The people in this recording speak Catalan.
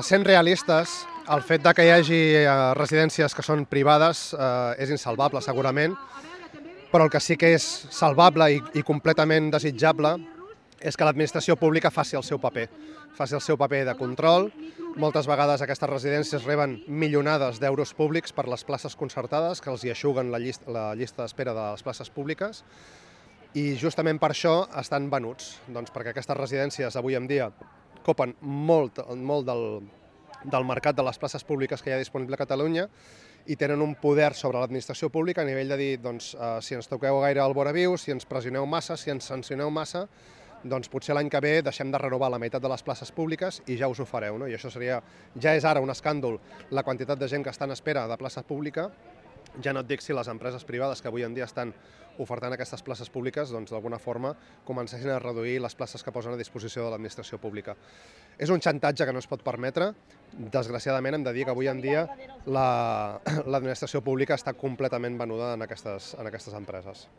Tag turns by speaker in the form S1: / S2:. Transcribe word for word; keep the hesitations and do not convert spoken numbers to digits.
S1: Sent realistes, el fet de que hi hagi eh, residències que són privades eh, és insalvable, segurament, però el que sí que és salvable i, i completament desitjable és que l'administració pública faci el seu paper, faci el seu paper de control. Moltes vegades aquestes residències reben milionades d'euros públics per les places concertades, que els hi eixuguen la llista, la llista d'espera de les places públiques, i justament per això estan venuts, doncs perquè aquestes residències avui en dia copen molt, molt del, del mercat de les places públiques que hi ha disponible a Catalunya i tenen un poder sobre l'administració pública a nivell de dir, doncs, eh, si ens toqueu gaire al vora viu, si ens pressioneu massa, si ens sancioneu massa, doncs potser l'any que ve deixem de renovar la meitat de les places públiques i ja us ho fareu, no? I això seria, ja és ara un escàndol la quantitat de gent que està en espera de plaça pública. Ja no et dic si les empreses privades que avui en dia estan ofertant aquestes places públiques, doncs d'alguna forma comencessin a reduir les places que posen a disposició de l'administració pública. És un xantatge que no es pot permetre. Desgraciadament hem de dir que avui en dia l'administració pública està completament venuda en aquestes, en aquestes empreses.